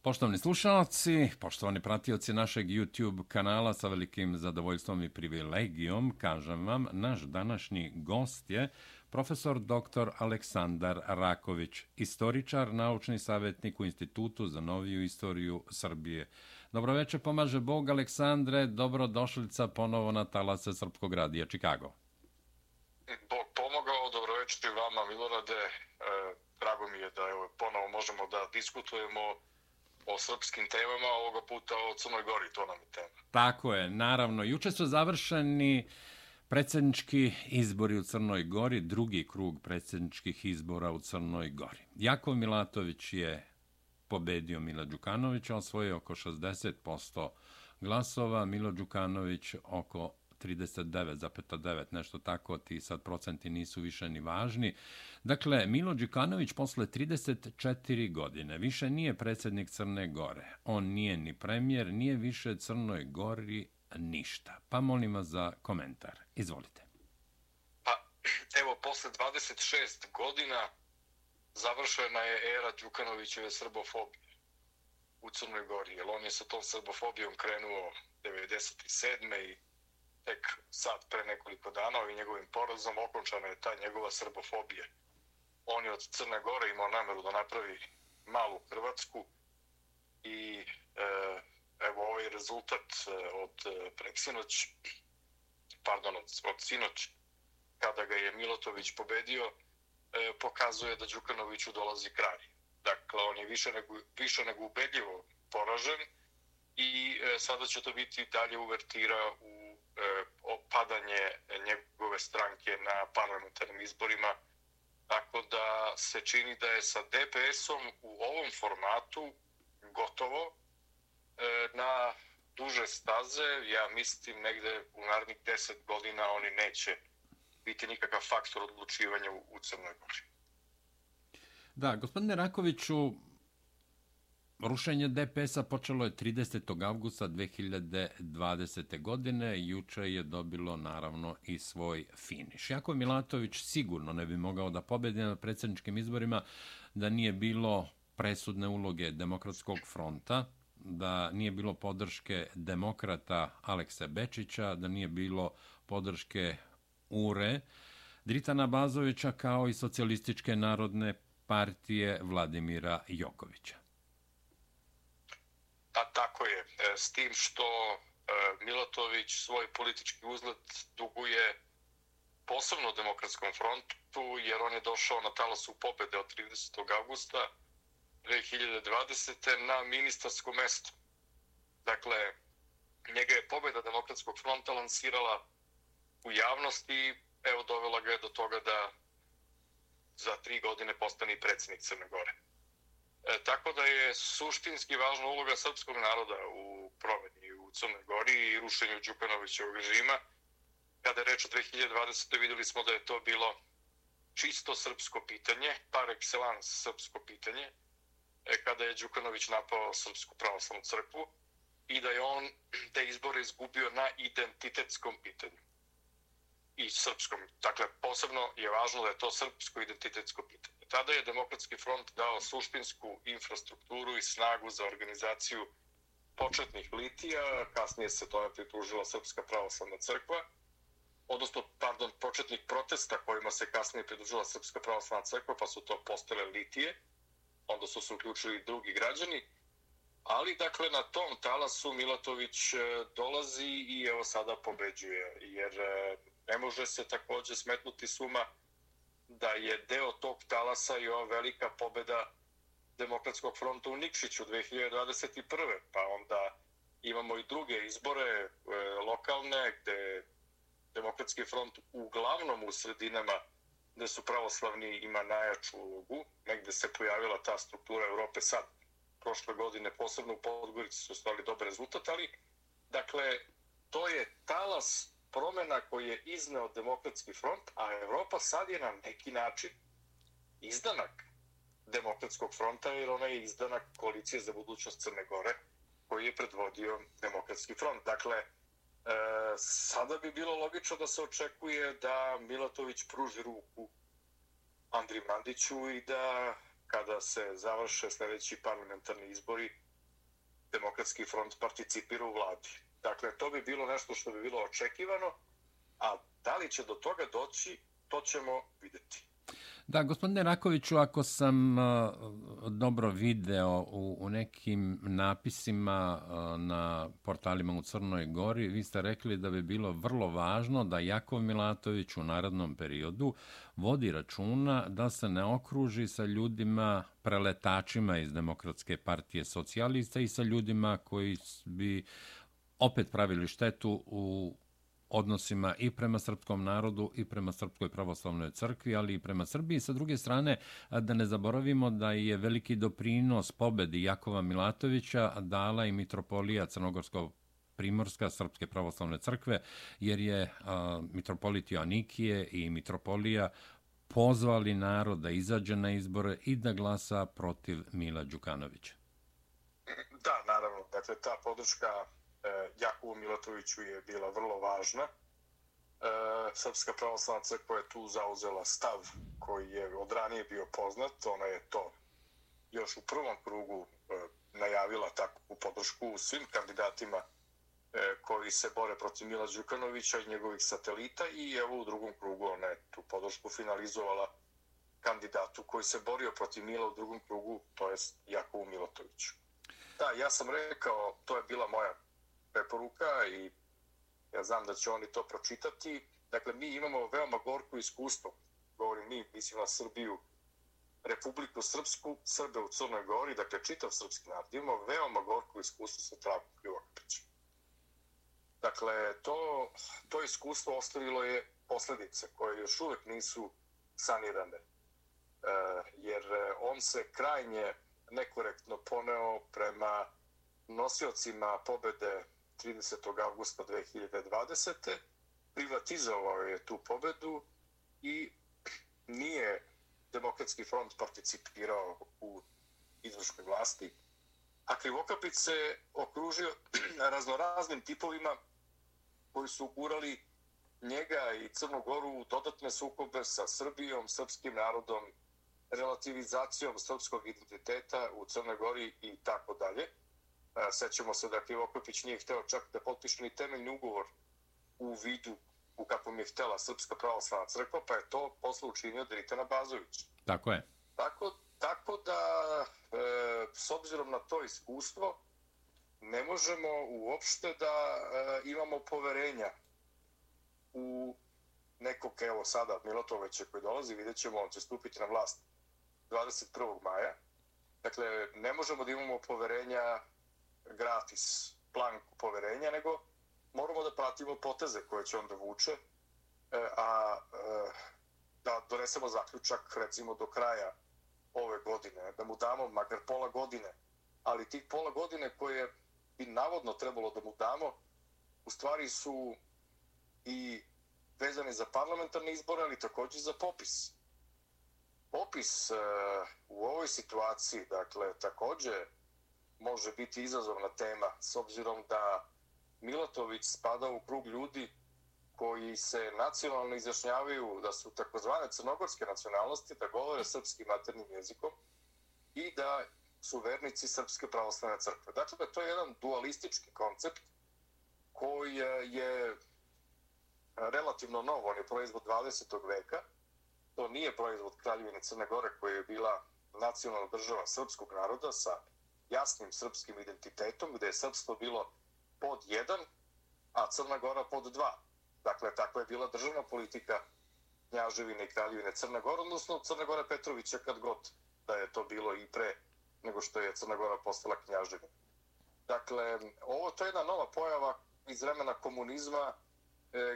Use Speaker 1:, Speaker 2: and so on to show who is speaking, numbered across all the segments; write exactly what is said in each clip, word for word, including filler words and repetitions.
Speaker 1: Poštovani slušalci, poštovani pratioci našeg YouTube kanala, sa velikim zadovoljstvom i privilegijom, kažem vam, naš današnji gost je profesor doktor Aleksandar Raković, istoričar, naučni savjetnik u Institutu za noviju istoriju Srbije. Dobroveče, pomaže Bog, Aleksandre, dobrodošlica ponovo na talase Srpskog radija Čikago.
Speaker 2: Bog pomogao, dobroveče vama, Milorade. E, drago mi je da evo, ponovo možemo da diskutujemo o srpskim temama, ovoga puta o Crnoj Gori, to nam je tema.
Speaker 1: Tako je, naravno. Juče su završeni predsjednički izbori u Crnoj Gori, drugi krug predsjedničkih izbora u Crnoj Gori. Jakov Milatović je pobedio Mila Đukanovića, osvojio oko šezdeset posto glasova, Milo Đukanović oko trideset devet zarez devet, nešto tako, ti sad procenti nisu više ni važni. Dakle, Milo Đukanović posle trideset četiri godine više nije predsjednik Crne Gore. On nije ni premijer, nije više Crnoj Gori ništa. Pa molim vas za komentar. Izvolite.
Speaker 2: Pa, evo, posle dvadeset šest godina završena je era Đukanovićeve srbofobije u Crnoj Gori, jer on je sa tom srbofobijom krenuo devedeset sedme i tek sad pre nekoliko dana ovim njegovim porazom okončana je ta njegova srbofobija. On je od Crne Gore imao nameru da napravi malu Hrvatsku i e, evo ovaj rezultat od preksinoć, pardon, od, od sinoć, kada ga je Milatović pobedio, e, pokazuje da Đukanoviću dolazi kraj. Dakle, on je više nego, više nego ubedljivo poražen i e, sada će to biti dalje uvertira u opadanje njegove stranke na parlamentarnim izborima, tako da se čini da je sa D P S-om u ovom formatu gotovo na duže staze. Ja mislim negde u narednih deset godina oni neće biti nikakav faktor odlučivanja u Crnoj Gori.
Speaker 1: Da, gospodine Rakoviću, rušenje D P S-a počelo je tridesetog avgusta dve hiljade dvadesete. godine. Juče je dobilo naravno i svoj finiš. Jakov Milatović sigurno ne bi mogao da pobedi na predsjedničkim izborima da nije bilo presudne uloge Demokratskog fronta, da nije bilo podrške demokrata Alekse Bečića, da nije bilo podrške U R E, Dritana Bazovića, kao i Socijalističke narodne partije Vladimira Jokovića.
Speaker 2: Pa tako je, s tim što Milatović svoj politički uzlet duguje posebno Demokratskom frontu, jer on je došao na talasu pobede od tridesetog avgusta dve hiljade dvadesete. na ministarsko mesto. Dakle, njega je pobeda Demokratskog fronta lansirala u javnosti i evo dovela ga je do toga da za tri godine postane predsjednik Crne Gore. E, tako da je suštinski važna uloga srpskog naroda u promeni u Crnoj Gori i rušenju Đukanovićevog režima. Kada je reč o dve hiljade dvadesete. vidjeli smo da je to bilo čisto srpsko pitanje, par excellence srpsko pitanje, e, kada je Đukanović napao Srpsku pravoslavnu crkvu i da je on te izbore izgubio na identitetskom pitanju. I srpskom. Dakle, posebno je važno da je to srpsko identitetsko pitanje. Tada je Demokratski front dao suštinsku infrastrukturu i snagu za organizaciju početnih litija, kasnije se tome pridružila Srpska pravoslavna crkva, odnosno, pardon, početnih protesta kojima se kasnije pridružila Srpska pravoslavna crkva, pa su to postale litije, onda su se uključili i drugi građani, ali, dakle, na tom talasu Milatović dolazi i evo sada pobeđuje, jer ne može se također smetnuti suma da je deo tog talasa i ova velika pobeda Demokratskog fronta u Nikšiću dve hiljade dvadeset prve. Pa onda imamo i druge izbore e, lokalne gde Demokratski front uglavnom u sredinama gde su pravoslavni ima najjaču ulogu. Negde se pojavila ta struktura Europe sad. Prošle godine, posebno u Podgorici, su ostali dobar rezultat, ali dakle, to je talas promjena koji je izneo Demokratski front, a Evropa sad je na neki način izdanak Demokratskog fronta, jer ona je izdanak Koalicije za budućnost Crne Gore, koji je predvodio Demokratski front. Dakle, e, sada bi bilo logično da se očekuje da Milatović pruži ruku Andriji Mandiću i da kada se završe sljedeći parlamentarni izbori, Demokratski front participira u vladi. Dakle, to bi bilo nešto što bi bilo očekivano, a da li će do toga doći, to ćemo vidjeti.
Speaker 1: Da, gospodine Rakoviću, ako sam uh, dobro video u, u nekim napisima uh, na portalima u Crnoj Gori, vi ste rekli da bi bilo vrlo važno da Jakov Milatović u narednom periodu vodi računa da se ne okruži sa ljudima preletačima iz Demokratske partije socijalista i sa ljudima koji bi opet pravili štetu u odnosima i prema srpskom narodu i prema Srpskoj pravoslavnoj crkvi, ali i prema Srbiji. Sa druge strane, da ne zaboravimo da je veliki doprinos pobedi Jakova Milatovića dala i mitropolija Crnogorsko-Primorska Srpske pravoslavne crkve, jer je a, mitropolit Joanikije i mitropolija pozvali narod da izađe na izbore i da glasa protiv Mila Đukanovića.
Speaker 2: Da, naravno. Dakle, ta podrška Jakovu Milatoviću je bila vrlo važna. Srpska pravoslavna crkva je tu zauzela stav koji je od ranije bio poznat. Ona je to još u prvom krugu najavila takvu podršku svim kandidatima koji se bore protiv Mila Đukanovića i njegovih satelita i evo u drugom krugu ona je tu podršku finalizovala kandidatu koji se borio protiv Mila u drugom krugu, to je Jakovu Milatoviću. Da, ja sam rekao, to je bila moja preporuka i ja znam da će oni to pročitati. Dakle, mi imamo veoma gorko iskustvo, govorim mi, mislim na Srbiju, Republiku Srpsku, Srbe u Crnoj Gori, dakle čitav srpski narod, imamo veoma gorko iskustvo sa Dragom Krivokapićem. Dakle, to, to iskustvo ostavilo je posljedice koje još uvek nisu sanirane, e, jer on se krajnje nekorektno poneo prema nosiocima pobede tridesetog avgusta dve hiljade dvadesete. Privatizovao je tu pobedu i nije Demokratski front participirao u izvršnoj vlasti, a Krivokapić se okružio raznoraznim tipovima koji su ugurali njega i Crnu Goru u dodatne sukobe sa Srbijom, srpskim narodom, relativizacijom srpskog identiteta u Crnoj Gori i tako dalje. Sećamo se da Krivokapić nije hteo čak da potpiše ni temeljni ugovor u vidu u kakvom je htela Srpska pravoslavna crkva, pa je to posle učinio Dritan Abazović.
Speaker 1: Tako je.
Speaker 2: Tako, tako da, e, s obzirom na to iskustvo, ne možemo uopšte da e, imamo poverenja u nekog, evo sada, Milatovića koji dolazi, vidjet ćemo, on će stupiti na vlast dvadeset prvog maja. Dakle, ne možemo da imamo poverenja gratis, planku poverenja, nego moramo da pratimo poteze koje će on da vuče, a da donesemo zaključak, recimo, do kraja ove godine, da mu damo makar pola godine, ali tih pola godine koje bi navodno trebalo da mu damo, u stvari su i vezane za parlamentarne izbore, ali također za popis. Popis u ovoj situaciji, dakle, također može biti izazovna tema, s obzirom da Milatović spada u krug ljudi koji se nacionalno izjašnjavaju da su takozvane crnogorske nacionalnosti, da govore srpskim maternjim jezikom i da su vernici Srpske pravoslavne crkve. Dakle, to je jedan dualistički koncept koji je relativno nov, on je proizvod dvadesetog veka. To nije proizvod Kraljevine Crne Gore koja je bila nacionalna država srpskog naroda sa jasnim srpskim identitetom, gde je srpstvo bilo pod jedan, a Crna Gora pod dva. Dakle, takva je bila državna politika Knjaževine i Kraljevine Crna Gora, odnosno Crna Gora Petrovića, kad god da je to bilo i pre nego što je Crna Gora postala Knjaževina. Dakle, ovo to je jedna nova pojava iz vremena komunizma,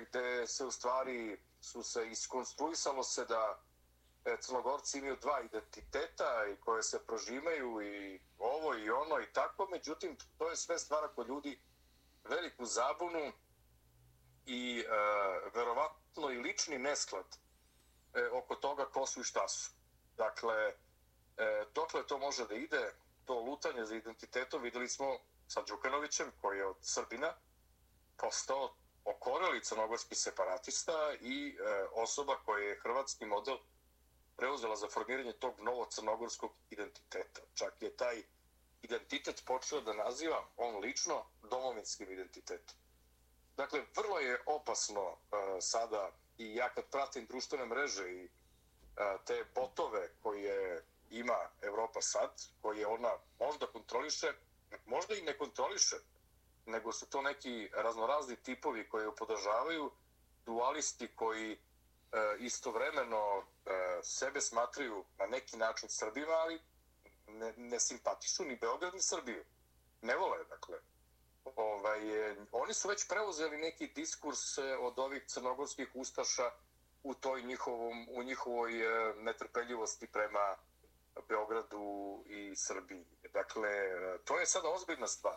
Speaker 2: gde se u stvari su se iskonstruisalo se da Crnogorci imaju dva identiteta i koje se prožimaju i ovo i ono i tako, međutim, to je sve stvara kod ljudi veliku zabunu i e, verovatno i lični nesklad e, oko toga ko su i šta su. Dakle, e, dokle to može da ide, to lutanje za identitetom, videli smo sa Đukanovićem, koji je od Srbina postao okoreli crnogorski separatista i e, osoba koja je hrvatski model preuzela za formiranje tog novog crnogorskog identiteta. Čak je taj identitet počeo da naziva on lično domovinskim identitetom. Dakle, vrlo je opasno uh, sada, i ja kad pratim društvene mreže i uh, te botove koje ima Evropa sad, koje ona možda kontroliše, možda i ne kontroliše, nego su to neki raznorazni tipovi koji ju podržavaju, dualisti koji uh, istovremeno uh, sebe smatraju na neki način Srbima, ali ne, ne simpatišu ni Beograd ni Srbiju. Ne vole, dakle. Ovaj, eh, oni su već preuzeli neki diskurs eh, od ovih crnogorskih ustaša u toj njihovom, u njihovoj eh, netrpeljivosti prema Beogradu i Srbiji. Dakle, eh, to je sada ozbiljna stvar.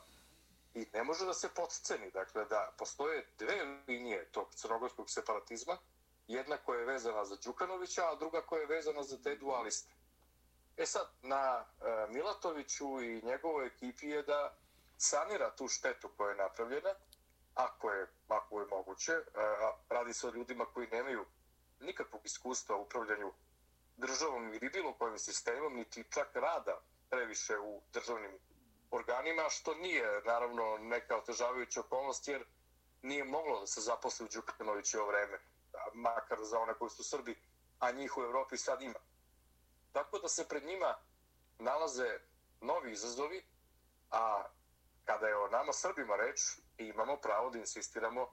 Speaker 2: I ne može da se potceni. Dakle, da postoje dve linije tog crnogorskog separatizma. Jedna koja je vezana za Đukanovića, a druga koja je vezana za te dualiste. E sad, na eh, Milatoviću i njegovoj ekipi je da sanira tu štetu koja je napravljena, ako je, ako je moguće. A radi se o ljudima koji nemaju nikakvog iskustva u upravljanju državom ili bilo kojim sistemom, niti čak rada previše u državnim organima, što nije, naravno, neka otežavajuća okolnost, jer nije moglo da se zaposli u Đukanovićevo vreme, makar za one koji su Srbi, a njih u Evropi sad ima. Tako da se pred njima nalaze novi izazovi, a kada je o nama Srbima reč, imamo pravo da insistiramo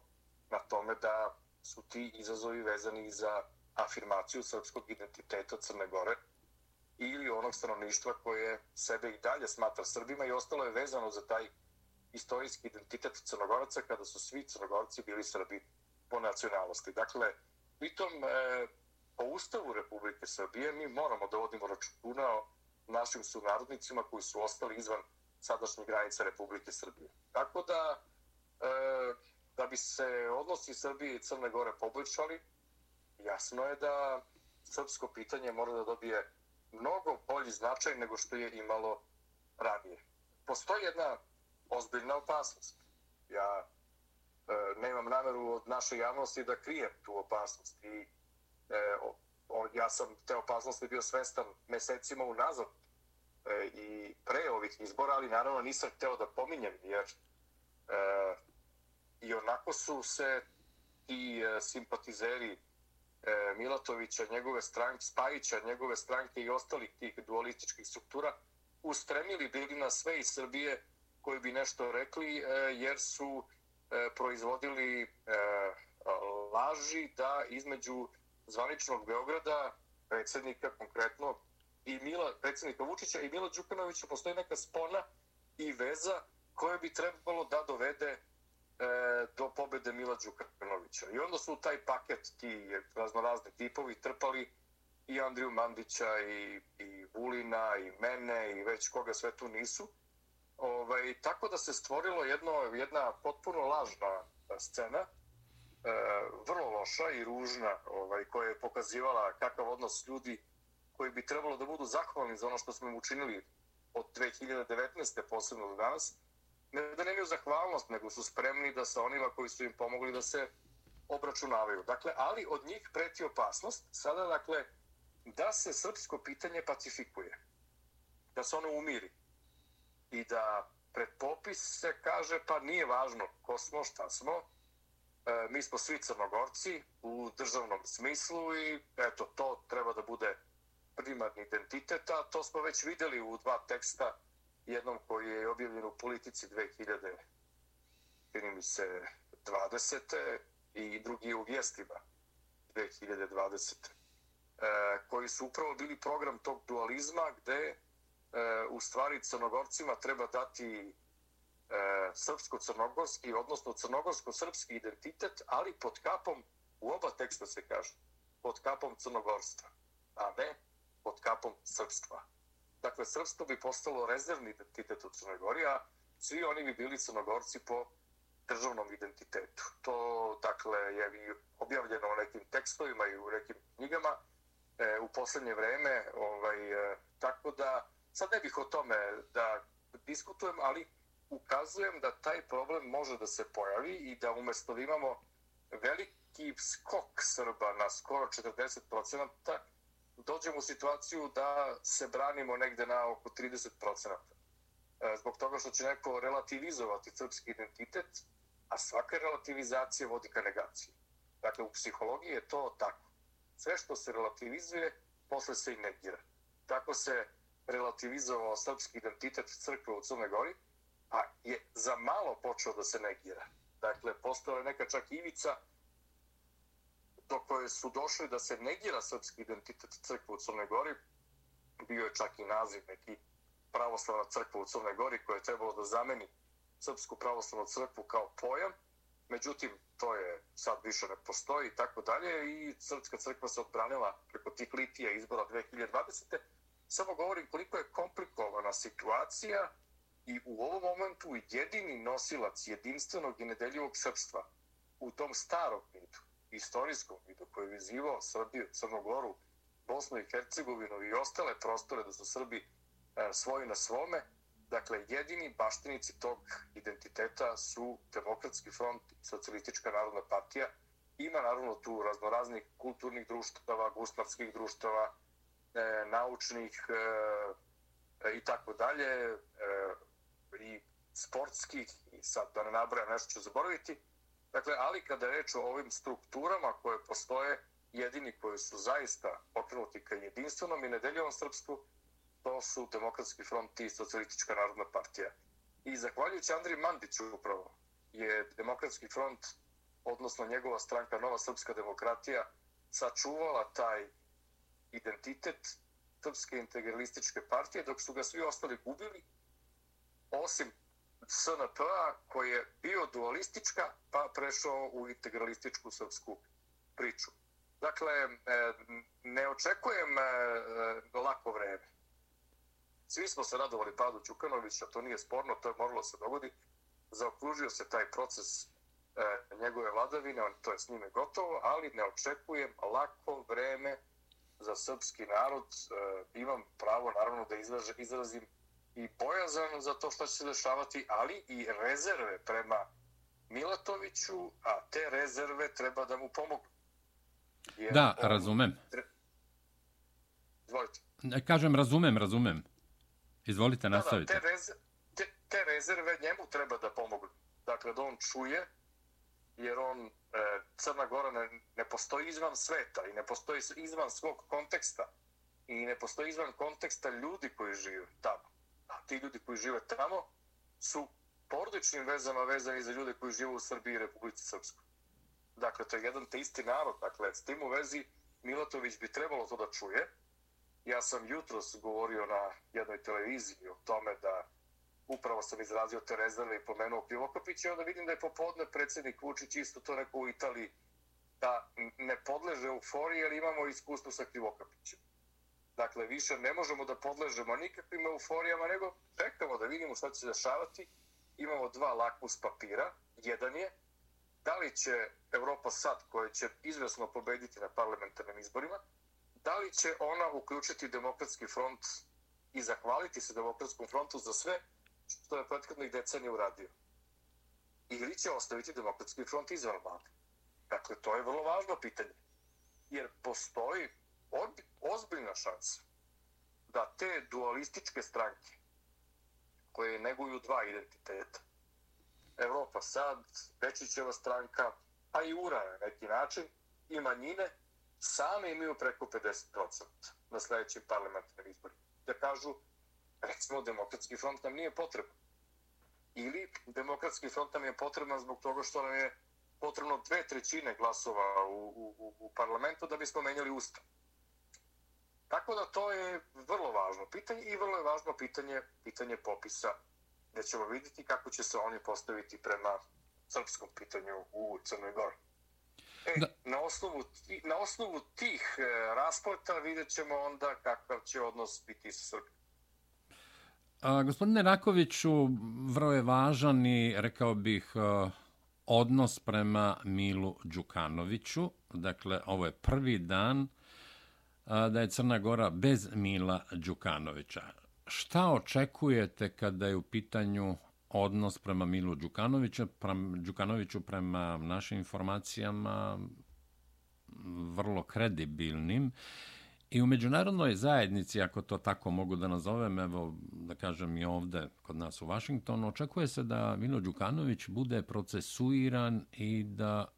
Speaker 2: na tome da su ti izazovi vezani za afirmaciju srpskog identiteta Crne Gore ili onog stanovništva koje sebe i dalje smatra Srbima, i ostalo je vezano za taj istorijski identitet Crnogoraca kada su svi Crnogorci bili Srbi po nacionalnosti. Dakle, pritom e, po Ustavu Republike Srbije mi moramo da vodimo računa o našim sunarodnicima koji su ostali izvan sadašnjih granica Republike Srbije. Tako da, e, da bi se odnosi Srbije i Crne Gore poboljšali, jasno je da srpsko pitanje mora da dobije mnogo bolji značaj nego što je imalo ranije. Postoji jedna ozbiljna opasnost. Ja e, nemam nameru od naše javnosti da krijem tu opasnost. I, e, o, o, ja sam te opasnosti bio svestan mesecima unazad e, i pre ovih izbora, ali naravno nisam hteo da pominjem, jer e, i onako su se ti e, simpatizeri e, Milatovića, njegove stranke, Spajića, njegove stranke i ostalih tih dualističkih struktura ustremili bili na sve iz Srbije koji bi nešto rekli, e, jer su e, proizvodili e, laži da između zvaničnog Beograda, predsjednika konkretno, i Mila, predsjednika Vučića i Mila Đukanovića postoji neka spona i veza koja bi trebalo da dovede e, do pobede Mila Đukanovića. I onda su u taj paket ti raznorazni tipovi trpali i Andriju Mandića i, i Vulina i mene i već koga sve tu nisu. Ovaj, tako da se stvorilo jedno, jedna potpuno lažna scena, e, vrlo loša i ružna, ovaj, koja je pokazivala kakav odnos ljudi koji bi trebalo da budu zahvalni za ono što smo im učinili od dve hiljade devetnaeste. posebno do danas. Ne da nemaju zahvalnost, nego su spremni da sa onima koji su im pomogli da se obračunavaju. Dakle, ali od njih preti opasnost sada, dakle, da se srpsko pitanje pacifikuje, da se ono umiri i da pred popis se kaže pa nije važno ko smo, šta smo, e, mi smo svi Crnogorci u državnom smislu i eto, to treba da bude primarni identitet, a to smo već vidjeli u dva teksta, jednom koji je objavljen u Politici dve hiljade dvadesete i drugi u Vijestima dve hiljade dvadesete. E, koji su upravo bili program tog dualizma gde e, u stvari Crnogorcima treba dati e, srpsko-crnogorski, odnosno crnogorsko-srpski identitet, ali pod kapom, u oba teksta se kaže, pod kapom crnogorstva, a ne pod kapom srpstva. Dakle, srpstvo bi postalo rezervni identitet u Crnoj Gori, a svi oni bi bili Crnogorci po državnom identitetu. To, dakle, je i objavljeno u nekim tekstovima i u nekim knjigama e, u posljednje vreme. Ovaj, e, tako da, sad ne bih o tome da diskutujem, ali ukazujem da taj problem može da se pojavi i da umjesto da imamo veliki skok Srba na skoro četrdeset procenata, dođemo u situaciju da se branimo negde na oko trideset procenata. zbog toga što će neko relativizovati srpski identitet, a svaka relativizacija vodi ka negaciji. Dakle, u psihologiji je to tako. Sve što se relativizuje, posle se i negira. Tako se relativizovao srpski identitet crkve u Crnoj Gori, a je za malo počeo da se negira. Dakle, postala je neka čak ivica do koje su došli da se negira srpski identitet crkve u Crnoj Gori. Bio je čak i naziv neki pravoslavna crkva u Crnoj Gori koja je trebalo da zameni srpsku pravoslavnu crkvu kao pojam. Međutim, to je sad više ne postoji i tako dalje i srpska crkva se odbranila preko tih litija izbora dve hiljade dvadesete. Samo govorim koliko je komplikovana situacija i u ovom momentu jedini nosilac jedinstvenog i nedeljivog srpstva u tom starom mitu, istorijskom mitu koji je vezivao Srbiju, Crnu Goru, Bosnu i Hercegovinu i ostale prostore da su Srbi e, svoji na svome, dakle, jedini baštinici tog identiteta su Demokratski front i Socijalistička narodna partija. Ima naravno tu raznoraznih kulturnih društava, guslarskih društava, e, naučnih e, i tako dalje, e, i sportskih, i sad da ne nabrajam nešto ću zaboraviti. Dakle, ali kada je reč o ovim strukturama koje postoje, jedini koji su zaista okrenuti ka jedinstvenom i nedeljivom srpstvu, to su Demokratski front i Socijalistička narodna partija. I zahvaljujući Andriji Mandiću upravo je Demokratski front, odnosno njegova stranka Nova srpska demokratija, sačuvala taj identitet Srpske integralističke partije, dok su ga svi ostali gubili, osim S N P-a koji je bio dualistička, pa prešao u integralističku srpsku priču. Dakle, ne očekujem lako vreme. Svi smo se radovali padu Đukanovića, to nije sporno, to je moralo se dogodi. Zaokružio se taj proces njegove vladavine, to je s njime gotovo, ali ne očekujem lako vreme za srpski narod. Imam pravo, naravno, da izrazim i bojazan za to što će se dešavati, ali i rezerve prema Milatoviću, a te rezerve treba da mu pomogu.
Speaker 1: Jer da, on... razumem.
Speaker 2: Izvolite.
Speaker 1: Kažem, razumem, razumem. Izvolite, nastavite.
Speaker 2: Da, da, te, rez... te, te rezerve njemu treba da pomogu. Dakle, da on čuje, jer on, e, Crna Gora ne, ne postoji izvan sveta i ne postoji izvan svog konteksta i ne postoji izvan konteksta ljudi koji žive tamo. A ti ljudi koji žive tamo su porodičnim vezama vezani za ljude koji žive u Srbiji i Republici Srpskoj. Dakle, to je jedan te isti narod. Dakle, s tim u vezi Milatović bi trebalo to da čuje. Ja sam jutros govorio na jednoj televiziji o tome da upravo sam izrazio te rezerve i pomenuo Krivokapića i onda vidim da je popodne predsjednik Vučić isto to rekao u Italiji da ne podleže euforiji jer imamo iskustvo sa Krivokapićem. Dakle, više ne možemo da podležemo nikakvim euforijama, nego čekamo da vidimo šta će se dešavati. Imamo dva lakmus papira. Jedan je da li će Evropa sad, koja će izvesno pobediti na parlamentarnim izborima, da li će ona uključiti Demokratski front i zahvaliti se Demokratskom frontu za sve što je prethodnih decenija uradio. Ili će ostaviti Demokratski front izvan vlade. Dakle, to je vrlo važno pitanje. Jer postoji ozbiljna šansa da te dualističke stranke koje neguju dva identiteta, Evropa sad, Bečićeva stranka, pa i U R A na neki način, i manjine, same imaju preko pedeset procenta na sljedećim parlamentarnim izborima. Da kažu, recimo, Demokratski front nam nije potreban. Ili Demokratski front nam je potreban zbog toga što nam je potrebno dve trećine glasova u, u, u parlamentu da bismo menjali ustav. Tako da to je vrlo važno pitanje i vrlo je važno pitanje, pitanje popisa, gdje ćemo vidjeti kako će se oni postaviti prema srpskom pitanju u Crnoj Gori. E, na, osnovu, na osnovu tih raspleta vidjet ćemo onda kakav će odnos biti sa Srbijom.
Speaker 1: A, gospodine Rakoviću, vrlo je važan i, rekao bih, odnos prema Milu Đukanoviću. Dakle, ovo je prvi dan da je Crna Gora bez Mila Đukanovića. Šta očekujete kada je u pitanju odnos prema Milu Đukanoviću, prema Đukanoviću prema našim informacijama vrlo kredibilnim I u međunarodnoj zajednici, ako to tako mogu da nazovem, evo da kažem i ovde kod nas u Vašingtonu, očekuje se da Milo Đukanović bude procesuiran i da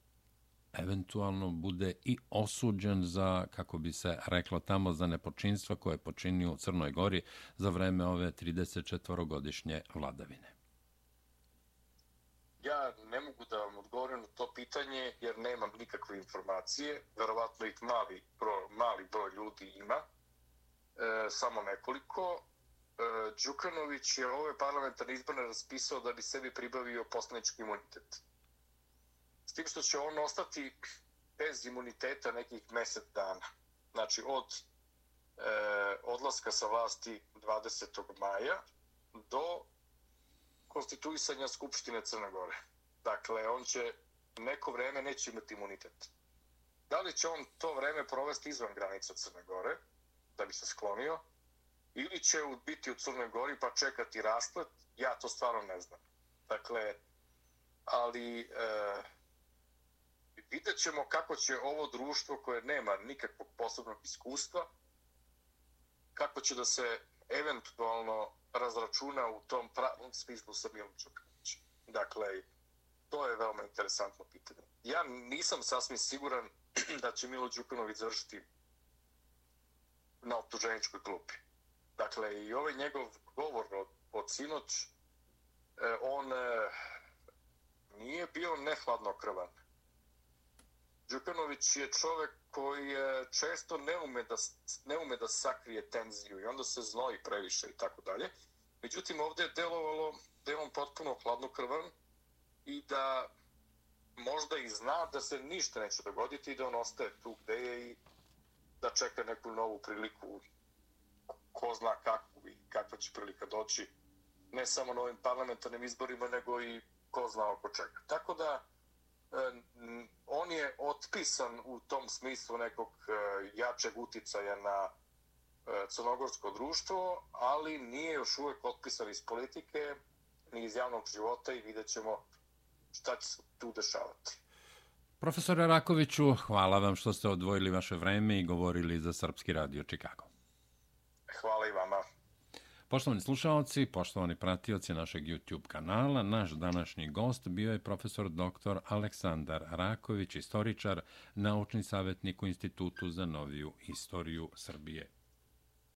Speaker 1: eventualno bude i osuđen za, kako bi se reklo tamo, za nepočinstva koje je počinio u Crnoj Gori za vreme ove tridesetčetvorogodišnje vladavine.
Speaker 2: Ja ne mogu da vam odgovorim na to pitanje jer nemam nikakve informacije. Verovatno ih mali broj, mali broj ljudi ima, e, samo nekoliko. E, Đukanović je ove parlamentarne izbore raspisao da bi sebi pribavio poslanički imunitet. S tim što će on ostati bez imuniteta nekih mesec dana. Znači od e, odlaska sa vlasti dvadesetog maja do konstituisanja Skupštine Crne Gore. Dakle, on će neko vreme neće imati imunitet. Da li će on to vreme provesti izvan granica Crne Gore, da bi se sklonio, ili će biti u Crnoj Gori pa čekati rasplet, ja to stvarno ne znam. Dakle, ali e, vidjet ćemo kako će ovo društvo koje nema nikakvog posebnog iskustva, kako će da se eventualno razračuna u tom pravom smislu sa Milom Đukanovićem. Dakle, to je veoma interesantno pitanje. Ja nisam sasvim siguran da će Milo Đukanović završiti na optuženičkoj klupi. Dakle, i ovaj njegov govor od, od sinoć, on nije bio nehladnokrvan. Đukanović je čovek koji često ne ume da, ne ume da sakrije tenziju i onda se znoji previše i tako dalje. Međutim, ovdje je delovalo da je on potpuno hladnokrvan i da možda i zna da se ništa neće dogoditi i da on ostaje tu gde je i da čeka neku novu priliku, ko zna kakvu i kakva će prilika doći, ne samo na ovim parlamentarnim izborima, nego i ko zna oko čega. Tako da on je otpisan u tom smislu nekog jačeg uticaja na crnogorsko društvo, ali nije još uvijek otpisan iz politike ni iz javnog života i vidjet ćemo šta će se tu dešavati.
Speaker 1: Profesore Rakoviću, hvala vam što ste odvojili vaše vreme i govorili za Srpski radio Čikago.
Speaker 2: Hvala i vama.
Speaker 1: Poštovani slušalci, poštovani pratioci našeg YouTube kanala, naš današnji gost bio je profesor doktor Aleksandar Raković, istoričar, naučni savjetnik u Institutu za noviju istoriju Srbije.